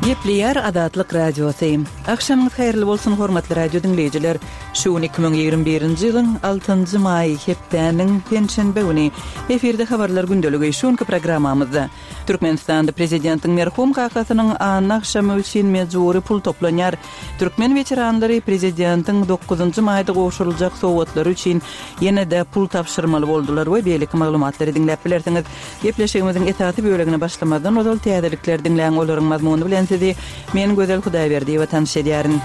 Gepleýär Azatlyk Radiosy. Agşamyňyz haýyrly bolsun, hormatly radio diňleýjiler! Şu gün 2021-nji ýylyň altynjy maýy, hepdäniň penşenbe güni. Efirde Habarlar gündeligi. Şu günki programmamyzda, Türkmenistanda prezidentiň merhum kakasynyň anna agşamy üçin mejbury pul toplanýar. Türkmen weteranlary prezidentiň dokuzynjy maýda gowşuryljak sowgatlary üçin ýene-de pul tabşyrmaly boldular we beýleki maglumatlary diňläp bilersiňiz. Gepleşigimiziň esasy bölegine başlamazdan ozal täzelikleri diňläň, olaryň mazmuny bilen sizi men Gözel Hudaýberdiýewa tanyş edýärin.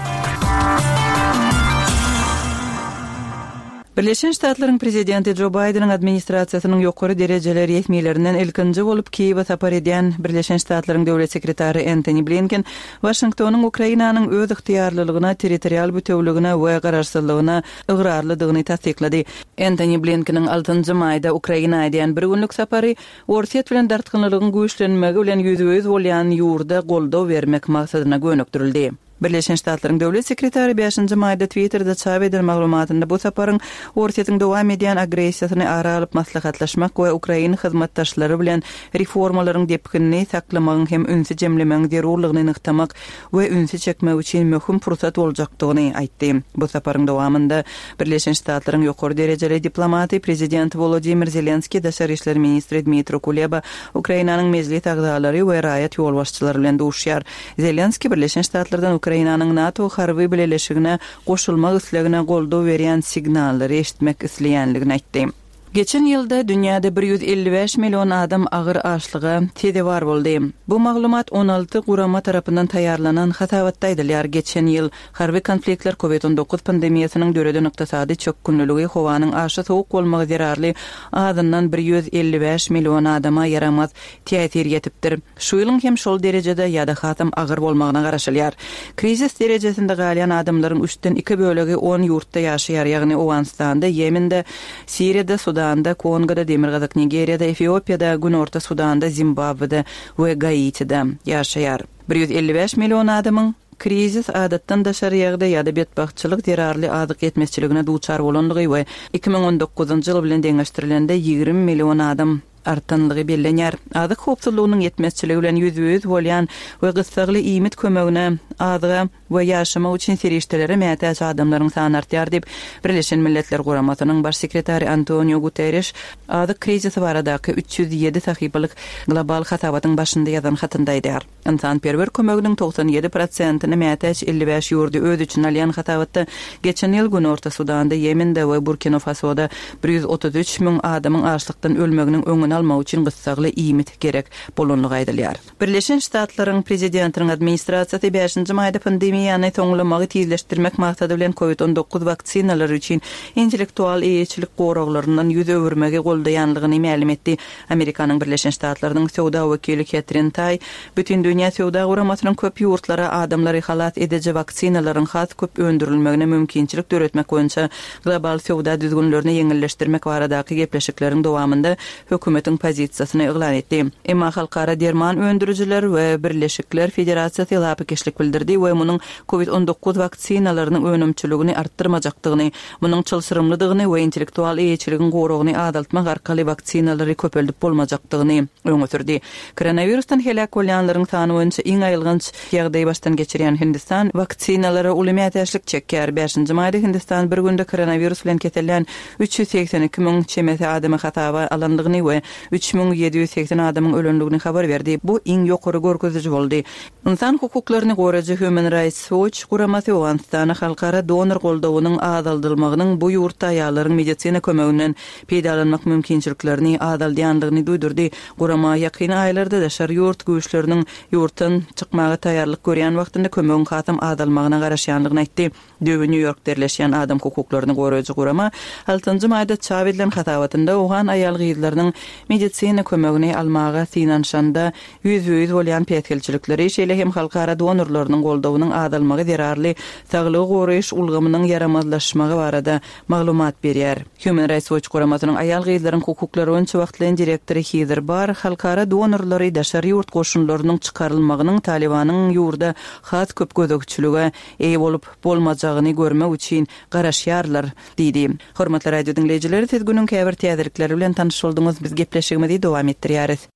Birleşen Ştatlaryň prezidenti Jo Baýdeniň administrasiýasynyň ýokary derejeli resmilerinden ilkinji bolup Kiýewe sapar edýän Birleşen Ştatlaryň döwlet sekretary Entoni Blinken Waşingtonyň Ukrainanyň öz ygtyýarlylygyna, territorial bütewligine we garaşsyzlygyna ygrarlydygyny tassyklady. Entoni Blinkeniň altynjy maýda Ukraina edýän bir günlük sapary Orsýet bilen dartgynlylygyň güýçlenmegi bilen ýüzbe-ýüz bolýan ýurda goldaw bermek maksadyna gönükdirildi. Birleşen Ştatlaryň Döwlet sekretary bäşinji maýda Twitterde çap eden maglumatynda bu saparyň Orsýetiň dowam edýän agressiýasyny ara alyp maslahatlaşmak we ukrain hyzmatdaşlary bilen reformalaryň depginini saklamagyň hem ünsi jemlemegiň zerurlygyny nygtamak we ünsi çekmek üçin möhüm pursat boljakdygyny aýtdy. Bu saparyň dowamynda Birleşen Ştatlaryň ýokary derejeli diplomaty, prezident Wolodymyr Zelenskiý, daşary işler ministri Dmitro Kuleba, Ukrainanyň mejlis agzalary we raýat ýolbaşçylary bilen duşýar. Zelenskiý Birleşen Ştatlardan Ukrainanyň NATO harby bileleşigine goşulmak islegine goldaw berýän signallary eşitmek isleýänligini aýtdy. Geçen ýylda dünýäde 155 million adam agyr açlyga sezewar boldy. Bu maglumat 16 gurama tarapyndan taýýarlanan hasabatda aýdylýar. Geçen ýyl harby konfliktler, Covid 19 pandemiýasynyň döreden ykdysady çökgünliligi, howanyň aşa sowuk bolmagy zerarly azyndan 155 million adama ýaramaz täsir ýetipdir. Şu ýylyň hem şol derejede ýa-da hasam agyr bolmagyna garaşylýar. Krizis derejesinde galýan adamlaryň üçden iki bölegi on ýurtda ýaşaýar, ýagny Owganystanda, Ýemende, Siriýada, Sudanda, Kongoda, Demirgazyk Nigeriýada, Efiopiýada, Günorta Sudanda, Zimbabwede we Gaitide ýaşaýar. 155 million adamyň krizis, adatdan daşary ýagdaý ýa-da betbagtçylyk zerarly azyk ýetmezçiligine duçar bolandygy we 2019-njy ýyl bilen deňeşdirilende 20 million adam artanlygy bellenýär. Azyk howpsuzlygynyň ýetmezçiligi bilen ýüzbe-ýüz bolýan we gyssagly iýmit kömegine, azyga we ýaşamak üçin serişdelere mätäç adamlaryň sany artýar diýip, Birleşen Milletler Guramasynyň Baş sekretary Antoniu Guterreş azyk krizisi baradaky 307 sahypalyk global hasabatyň başynda ýazan hatynda aýdýar. Ynsanperwer kömeginiň 97 prosentini mätäç 55 ýurdy öz içine alýan hasabatda geçen ýyl Günorta Sudanda, Ýemende we Burkino-Fasoda 133 müň adamyň açlykdan ölmeginiň öňüni almak üçin gyssagly iýmit gerek bolandygy aýdylýar. Birleşen Ştatlaryň Prezidentiniň administrasiýasy bäşinji maýda pandemiýany soňlamagy tizleşdirmek maksady bilen Covid 19 waksinalary üçin intellektual eýeçilik goraglaryndan ýüz öwürmegi goldaýanlygyny mälim etdi. Amerikanyň Birleşen Ştatlarynyň söwda wekili Ketrin Taý Bütindünýä söwda guramasynyň köp ýurtlara adamlary halas ediji waksinalaryň has köp öndürilmegine mümkinçilik döretmek boýunça global söwda düzgünlerini ýeňilleşdirmek baradaky gepleşikleriň dowamynda hökümetiň pozisiýasyny yglan etdi. Emma Halkara derman öndürijiler we birleşikler federasiýasy lapykeçlik bildirdi we munuň Covid 19 waksinalarynyň önümçiligini artdyrmajakdygyny, Munuň çylşyrymlydygyny we intellektual eýeçiligiň goragyny azaltmak arkaly waksinalary köpeldip bolmajakdygyny öňe sürdi. Koronawirusdan heläk bolýanlaryň sany boýunça iň aýylganç ýagdaýy başdan geçirýän Hindistan waksinalara uly mätäçlik çekýär. Bäşinji maýda Hindistan bir günde koronawirus bilen kesellän 382 müň çemesi adamy hasaba alandygyny we 3780 adamyň ölendigini habar berdi. Bu iň ýokary görkeziji boldy. Ynsan hukuklaryny goraýjy Human Rights Watch guramasy Owganystana halkara donor goldawynyň azaldylmagynyň bu ýurtda aýallaryň medisina kömeginden peýdalanmak mümkinçiliklerini azaldýandygyny duýdurdy. Gurama ýakyn aýlarda daşary ýurt güýçleriniň ýurtdan çykmaga taýýarlyk görýän wagtynda kömegiň hasam azalmagyna garaşýandygyny aýtdy. Düýbi Nýu-Ýorkda ýerleşýän adam hukuklaryny goraýjy gurama altynjy maýda çap edilen hasabatynda owgan aýal-gyzlarynyň medisina kömegini almaga synanyşanda ýüzbe-ýüz bolýan päsgelçilikleri, şeýle hem halkara donorlarynyň goldawynyň azalmagy zerarly saglygy goraýyş ulgamynyň ýaramazlaşmagy barada maglumat berýär. Human Rights Watch guramasynyň aýal-gyzlaryň hukuklary boýunça wagtlaýyn direktory Hizer Barr halkara donorlary daşary ýurt goşunlarynyň çykarylmagynyň Talybanyň ýurda has köp gözegçilige eýe bolup bolmajagyny görmek üçin garaşýarlar diýdi. Hormatly radio diňleýjiler, siz günüň käbir täzelikleri bilen tanyş bolduňyz, biz gepleşigimizi dowam etdirýäris.